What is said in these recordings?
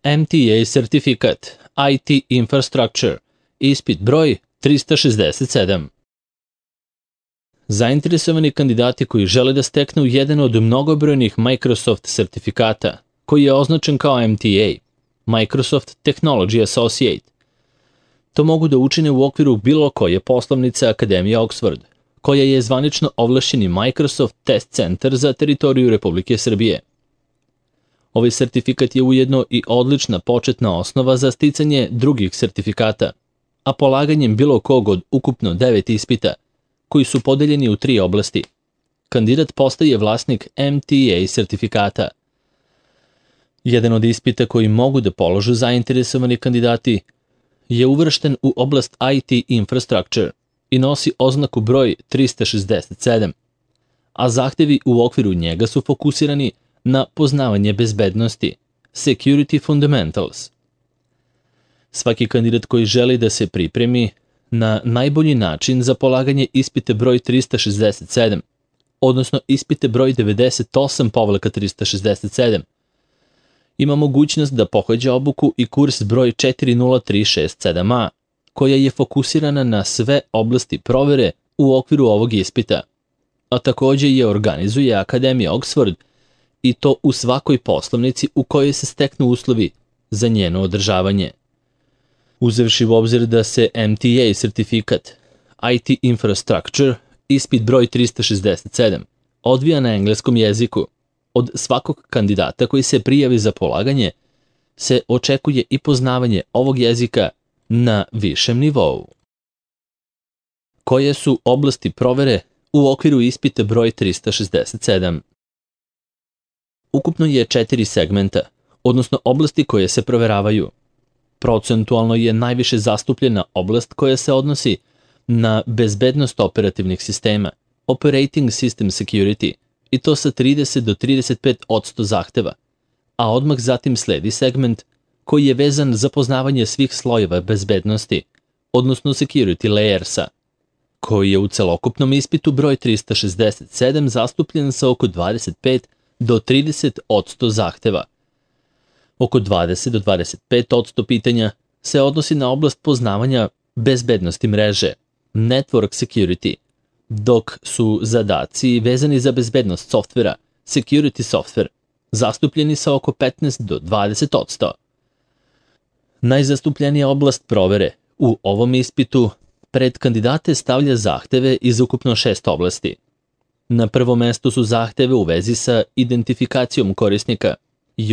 MTA sertifikat, IT Infrastructure, ispit broj 367. Zainteresovani kandidati koji žele da steknu jedan od mnogobrojnih Microsoft sertifikata, koji je označen kao MTA, Microsoft Technology Associate, to mogu da učine u okviru bilo koje poslovnice Akademije Oxford, koja je zvanično ovlašćeni Microsoft Test Center za teritoriju Republike Srbije. Ovaj sertifikat je ujedno i odlična početna osnova za sticanje drugih sertifikata, a polaganjem bilo kog od ukupno 9 ispita, koji su podeljeni u 3 oblasti, kandidat postaje vlasnik MTA sertifikata. Jedan od ispita koji mogu da položu zainteresovani kandidati je uvršten u oblast IT Infrastructure i nosi oznaku broj 367, a zahtevi u okviru njega su fokusirani na poznavanje bezbednosti, Security Fundamentals. Svaki kandidat koji želi da se pripremi na najbolji način za polaganje ispite broj 367, odnosno ispite broj 98/367, ima mogućnost da pohađa obuku i kurs broj 40367A, koja je fokusirana na sve oblasti provere u okviru ovog ispita, a takođe je organizuje Akademija Oxford i to u svakoj poslovnici u kojoj se steknu uslovi za njeno održavanje. Uzevši u obzir da se MTA sertifikat, IT Infrastructure, ispit broj 367, odvija na engleskom jeziku, od svakog kandidata koji se prijavi za polaganje se očekuje i poznavanje ovog jezika na višem nivou. Koje su oblasti provere u okviru ispita broj 367? Ukupno je 4 segmenta, odnosno oblasti koje se proveravaju. Procentualno je najviše zastupljena oblast koja se odnosi na bezbednost operativnih sistema, Operating System Security, i to sa 30 do 35% zahteva, a odmah zatim sledi segment koji je vezan za poznavanje svih slojeva bezbednosti, odnosno security layersa, koji je u celokupnom ispitu broj 367 zastupljen sa oko 25 do 30% zahteva. Oko 20 do 25% pitanja se odnosi na oblast poznavanja bezbednosti mreže, network security, dok su zadaci vezani za bezbednost softvera, security software, zastupljeni sa oko 15 do 20%. Najzastupljenija oblast provere u ovom ispitu pred kandidate stavlja zahteve iz ukupno 6 oblasti. Na prvom mestu su zahteve u vezi sa identifikacijom korisnika,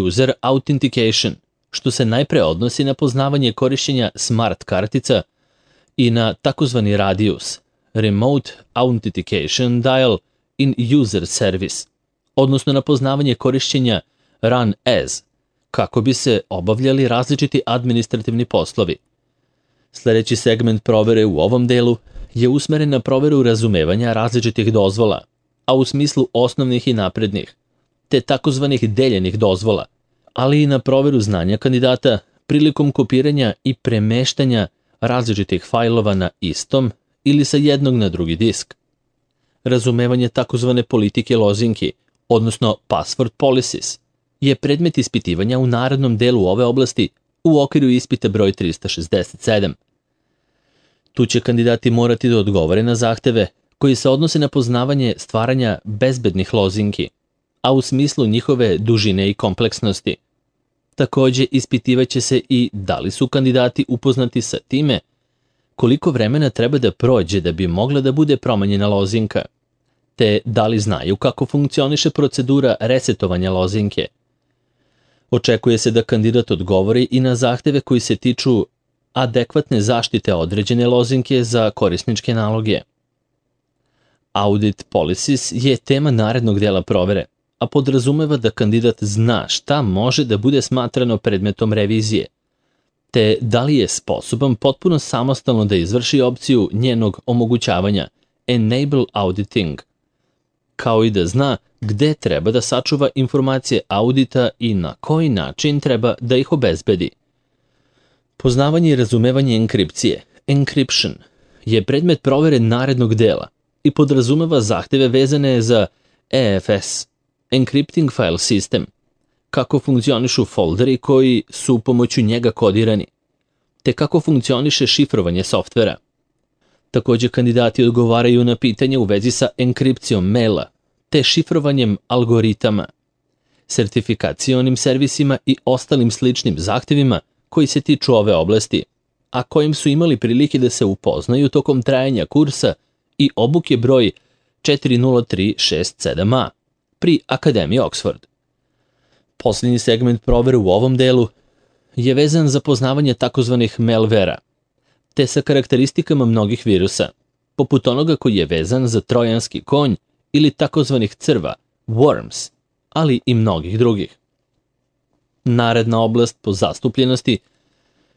User Authentication, što se najpre odnosi na poznavanje korišćenja smart kartica i na takozvani radius, Remote Authentication Dial in User Service, odnosno na poznavanje korišćenja Run As, kako bi se obavljali različiti administrativni poslovi. Sljedeći segment provere u ovom delu je usmeren na proveru razumevanja različitih dozvola, a u smislu osnovnih i naprednih, te takozvanih deljenih dozvola, ali i na proveru znanja kandidata prilikom kopiranja i premeštanja različitih fajlova na istom ili sa jednog na drugi disk. Razumevanje takozvane politike lozinki, odnosno password policies, je predmet ispitivanja u narednom delu ove oblasti u okviru ispita broj 367. Tu će kandidati morati da odgovore na zahteve koji se odnose na poznavanje stvaranja bezbednih lozinki, a u smislu njihove dužine i kompleksnosti. Takođe, ispitivaće se i da li su kandidati upoznati sa time koliko vremena treba da prođe da bi mogla da bude promenjena lozinka, te da li znaju kako funkcioniše procedura resetovanja lozinke. Očekuje se da kandidat odgovori i na zahteve koji se tiču adekvatne zaštite određene lozinke za korisničke naloge. Audit policies je tema narednog dela provere, a podrazumeva da kandidat zna šta može da bude smatrano predmetom revizije, te da li je sposoban potpuno samostalno da izvrši opciju njenog omogućavanja, Enable Auditing, kao i da zna gde treba da sačuva informacije audita i na koji način treba da ih obezbedi. Poznavanje i razumevanje enkripcije, Encryption, je predmet provere narednog dela i podrazumeva zahteve vezane za EFS, Encrypting File System, kako funkcionišu folderi koji su pomoću njega kodirani, te kako funkcioniše šifrovanje softvera. Također kandidati odgovaraju na pitanje u vezi sa enkripcijom maila, te šifrovanjem algoritama, sertifikacionim servisima i ostalim sličnim zahtjevima koji se tiču ove oblasti, a kojim su imali prilike da se upoznaju tokom trajanja kursa i obuke broj 40367A pri Akademiji Oxford. Posljednji segment provere u ovom delu je vezan za poznavanje takozvanih malvera, te sa karakteristikama mnogih virusa, poput onoga koji je vezan za trojanski konj ili takozvanih crva, worms, ali i mnogih drugih. Naredna oblast po zastupljenosti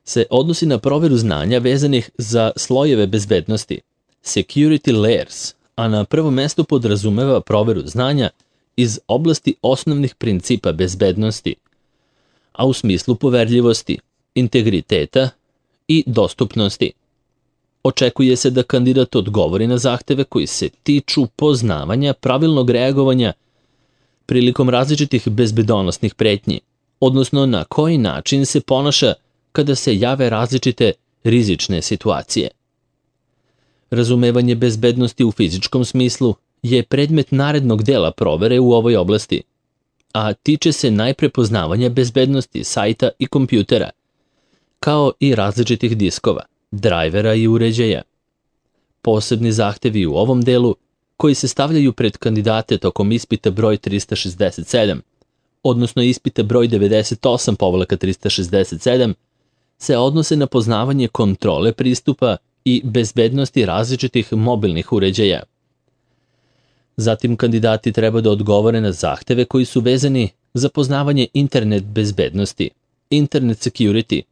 se odnosi na proveru znanja vezanih za slojeve bezbednosti, security layers, a na prvom mjestu podrazumeva proveru znanja iz oblasti osnovnih principa bezbednosti, a u smislu poverljivosti, integriteta i dostupnosti. Očekuje se da kandidat odgovori na zahteve koji se tiču poznavanja pravilnog reagovanja prilikom različitih bezbedonosnih pretnji, odnosno na koji način se ponaša kada se jave različite rizične situacije. Razumevanje bezbednosti u fizičkom smislu je predmet narednog dela provere u ovoj oblasti, a tiče se najpre poznavanja bezbednosti sajta i kompjutera, kao i različitih diskova, drajvera i uređaja. Posebni zahtevi u ovom delu, koji se stavljaju pred kandidate tokom ispita broj 367, odnosno ispita broj 98/367, se odnose na poznavanje kontrole pristupa i bezbednosti različitih mobilnih uređaja. Zatim kandidati treba da odgovore na zahteve koji su vezani za poznavanje internet bezbednosti, internet security,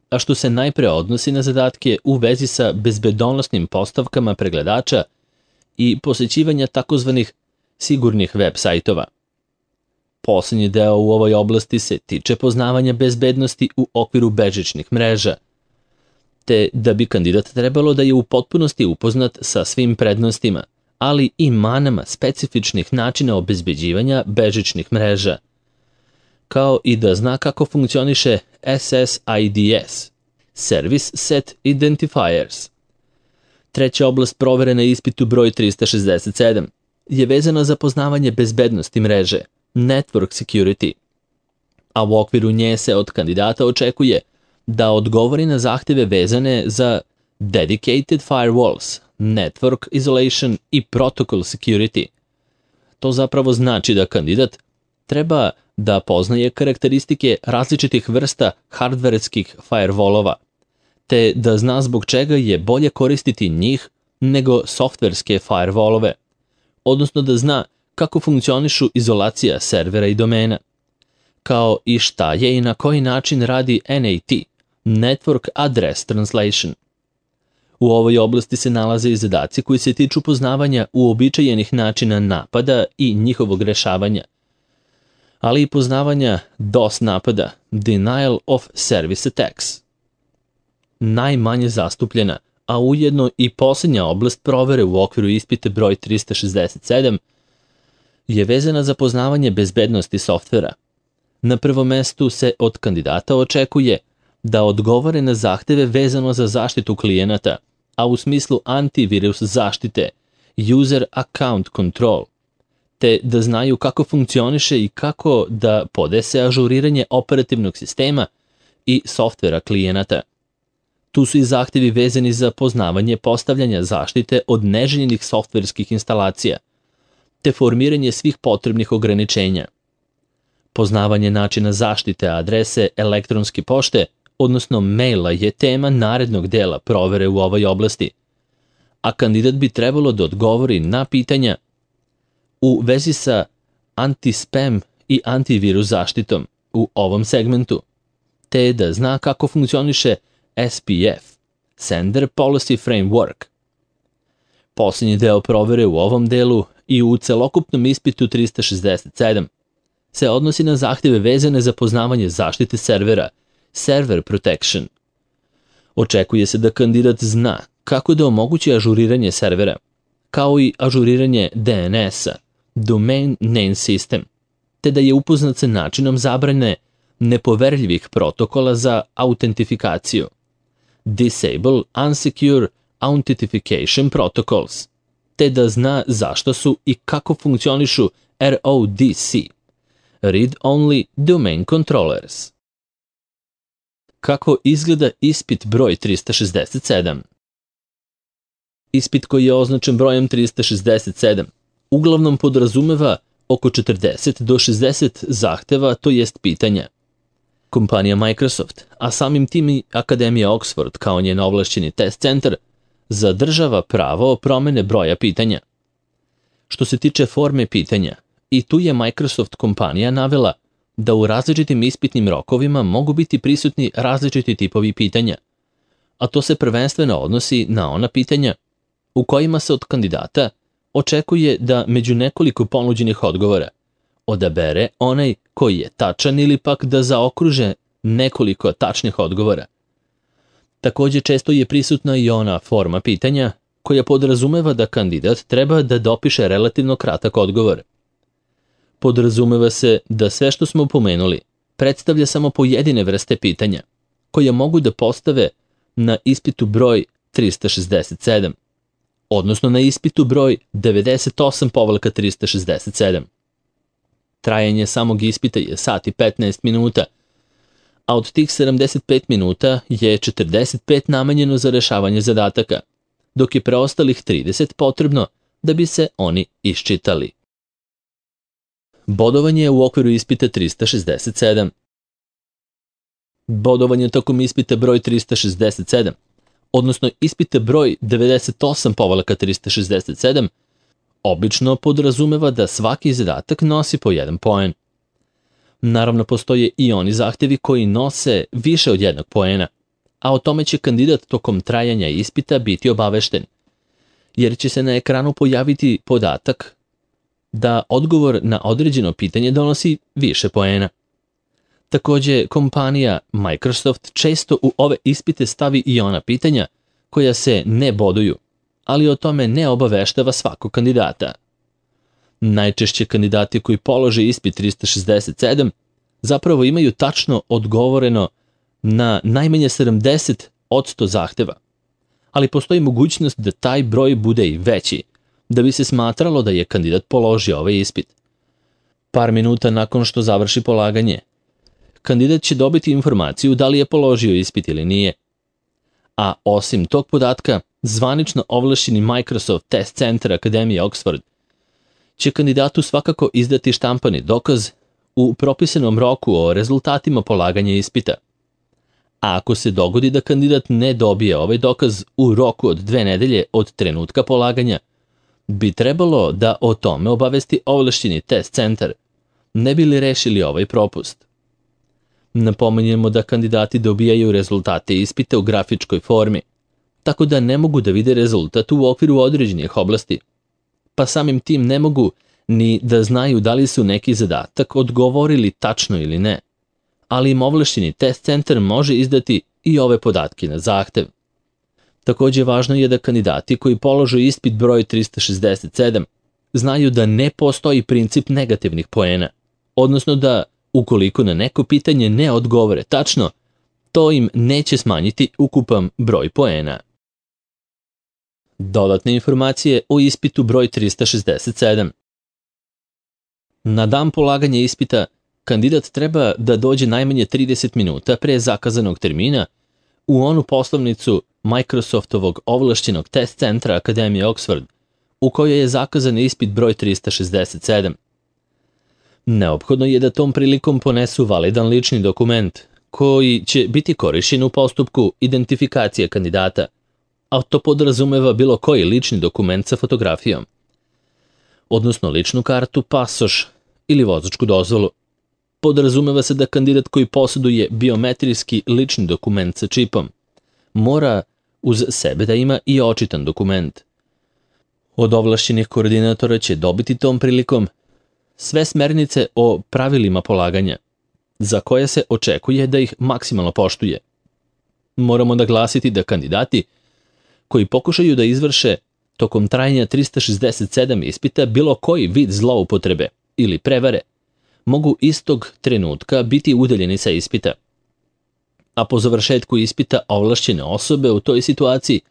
a što se najpre odnosi na zadatke u vezi sa bezbedonosnim postavkama pregledača i posjećivanja takozvanih sigurnih web sajtova. Posljednji deo u ovoj oblasti se tiče poznavanja bezbednosti u okviru bežičnih mreža, te da bi kandidat trebalo da je u potpunosti upoznat sa svim prednostima, ali i manama specifičnih načina obezbeđivanja bežičnih mreža, kao i da zna kako funkcioniše SSIDs, Service Set Identifiers. Treća oblast provere na ispitu broj 367 je vezana za poznavanje bezbednosti mreže, Network Security, a u okviru nje se od kandidata očekuje da odgovori na zahtjeve vezane za Dedicated Firewalls, Network Isolation i Protocol Security. To zapravo znači da kandidat treba da poznaje karakteristike različitih vrsta hardverskih firewallova, te da zna zbog čega je bolje koristiti njih nego softverske firewallove, odnosno da zna kako funkcionišu izolacija servera i domena, kao i šta je i na koji način radi NAT, Network Address Translation. U ovoj oblasti se nalaze i zadaci koji se tiču poznavanja uobičajenih načina napada i njihovog rešavanja, ali i poznavanja DOS napada, Denial of Service Attacks. Najmanje zastupljena, a ujedno i posljednja oblast provere u okviru ispita broj 367 je vezana za poznavanje bezbednosti softvera. Na prvom mestu se od kandidata očekuje da odgovore na zahteve vezano za zaštitu klijenata, a u smislu antivirus zaštite, User Account Control, te da znaju kako funkcioniše i kako da podese ažuriranje operativnog sistema i softvera klijenata. Tu su i zahtjevi vezani za poznavanje postavljanja zaštite od neželjenih softverskih instalacija, te formiranje svih potrebnih ograničenja. Poznavanje načina zaštite adrese elektronske pošte, odnosno maila, je tema narednog dela provere u ovoj oblasti, a kandidat bi trebalo da odgovori na pitanja u vezi sa anti-spam i antivirus zaštitom u ovom segmentu, te da zna kako funkcioniše SPF, Sender Policy Framework. Posljednji deo provere u ovom delu i u celokupnom ispitu 367 se odnosi na zahtjeve vezane za poznavanje zaštite servera, Server Protection. Očekuje se da kandidat zna kako da omogući ažuriranje servera, kao i ažuriranje DNS-a, Domain Name System, te da je upoznat sa načinom zabrane nepoverljivih protokola za autentifikaciju. Disable Unsecure Authentication Protocols, te da zna zašto su i kako funkcionišu RODC, Read Only Domain Controllers. Kako izgleda ispit broj 367? Ispit koji je označen brojem 367 uglavnom podrazumeva oko 40 do 60 zahteva, to jest pitanja. Kompanija Microsoft, a samim tim i Akademija Oxford kao njen ovlašćeni test centar, zadržava pravo promene broja pitanja. Što se tiče forme pitanja, i tu je Microsoft kompanija navela da u različitim ispitnim rokovima mogu biti prisutni različiti tipovi pitanja, a to se prvenstveno odnosi na ona pitanja u kojima se od kandidata očekuje da među nekoliko ponuđenih odgovora odabere onaj koji je tačan ili pak da zaokruže nekoliko tačnih odgovora. Također često je prisutna i ona forma pitanja koja podrazumeva da kandidat treba da dopiše relativno kratak odgovor. Podrazumeva se da sve što smo pomenuli predstavlja samo pojedine vrste pitanja koje mogu da postave na ispitu broj 367, odnosno na ispitu broj 98/367. Trajanje samog ispita je sat i 15 minuta, a od tih 75 minuta je 45 namenjeno za rešavanje zadataka, dok je preostalih 30 potrebno da bi se oni iščitali. Bodovanje u okviru ispita 367. Bodovanje tokom ispita broj 367, odnosno ispita broj 98/367, obično podrazumeva da svaki zadatak nosi po 1 poen. Naravno, postoje i oni zahtevi koji nose više od 1 poena, a o tome će kandidat tokom trajanja ispita biti obavešten, jer će se na ekranu pojaviti podatak da odgovor na određeno pitanje donosi više poena. Također, kompanija Microsoft često u ove ispite stavi i ona pitanja koja se ne boduju, ali o tome ne obaveštava svakog kandidata. Najčešće kandidati koji polože ispit 367 zapravo imaju tačno odgovoreno na najmanje 70% zahteva, ali postoji mogućnost da taj broj bude i veći, da bi se smatralo da je kandidat položio ovaj ispit. Par minuta nakon što završi polaganje, kandidat će dobiti informaciju da li je položio ispit ili nije. A osim tog podatka, zvanično ovlašćeni Microsoft Test Center Akademije Oxford će kandidatu svakako izdati štampani dokaz u propisanom roku o rezultatima polaganja ispita. A ako se dogodi da kandidat ne dobije ovaj dokaz u roku od 2 nedelje od trenutka polaganja, bi trebalo da o tome obavesti ovlašćeni test centar, ne bi li rešili ovaj propust. Napominjemo da kandidati dobijaju rezultate ispita u grafičkoj formi, tako da ne mogu da vide rezultat u okviru određenih oblasti, pa samim tim ne mogu ni da znaju da li su neki zadatak odgovorili tačno ili ne, ali im ovlašćeni test centar može izdati i ove podatke na zahtev. Također važno je da kandidati koji polože ispit broj 367 znaju da ne postoji princip negativnih poena, odnosno da ukoliko na neko pitanje ne odgovore tačno, to im neće smanjiti ukupan broj poena. Dodatne informacije o ispitu broj 367. Na dan polaganja ispita, kandidat treba da dođe najmanje 30 minuta pre zakazanog termina u onu poslovnicu Microsoftovog ovlašćenog test centra Akademije Oxford, u kojoj je zakazan ispit broj 367. Neophodno je da tom prilikom ponesu validan lični dokument, koji će biti korišćen u postupku identifikacije kandidata, a to podrazumeva bilo koji lični dokument sa fotografijom, odnosno ličnu kartu, pasoš ili vozačku dozvolu. Podrazumeva se da kandidat koji posjeduje biometrijski lični dokument sa čipom mora uz sebe da ima i očitan dokument. Od ovlašćenih koordinatora će dobiti tom prilikom sve smernice o pravilima polaganja, za koje se očekuje da ih maksimalno poštuje. Moramo naglasiti da kandidati koji pokušaju da izvrše tokom trajanja 367 ispita bilo koji vid zloupotrebe ili prevare, mogu istog trenutka biti udaljeni sa ispita. A po završetku ispita ovlašćene osobe u toj situaciji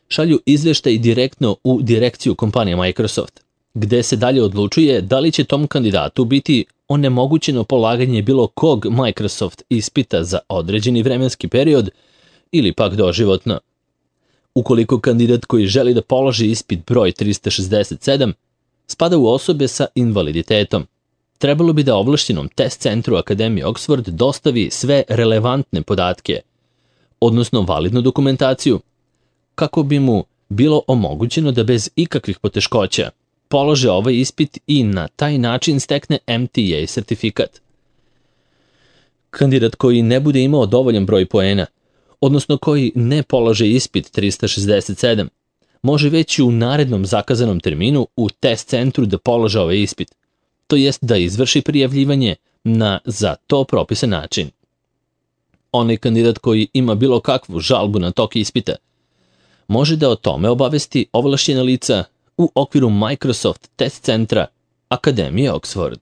šalju izveštaj direktno u direkciju kompanije Microsoft, gde se dalje odlučuje da li će tom kandidatu biti onemogućeno polaganje bilo kog Microsoft ispita za određeni vremenski period ili pak doživotno. Ukoliko kandidat koji želi da položi ispit broj 367 spada u osobe sa invaliditetom, trebalo bi da ovlašćenom test centru Akademije Oxford dostavi sve relevantne podatke, odnosno validnu dokumentaciju, kako bi mu bilo omogućeno da bez ikakvih poteškoća polože ovaj ispit i na taj način stekne MTA sertifikat. Kandidat koji ne bude imao dovoljan broj poena, odnosno koji ne polože ispit 367, može već u narednom zakazanom terminu u test centru da polože ovaj ispit, to jest da izvrši prijavljivanje na za to propisan način. Onaj kandidat koji ima bilo kakvu žalbu na tok ispita može da o tome obavesti ovlašćena lica u okviru Microsoft test centra Akademije Oxford.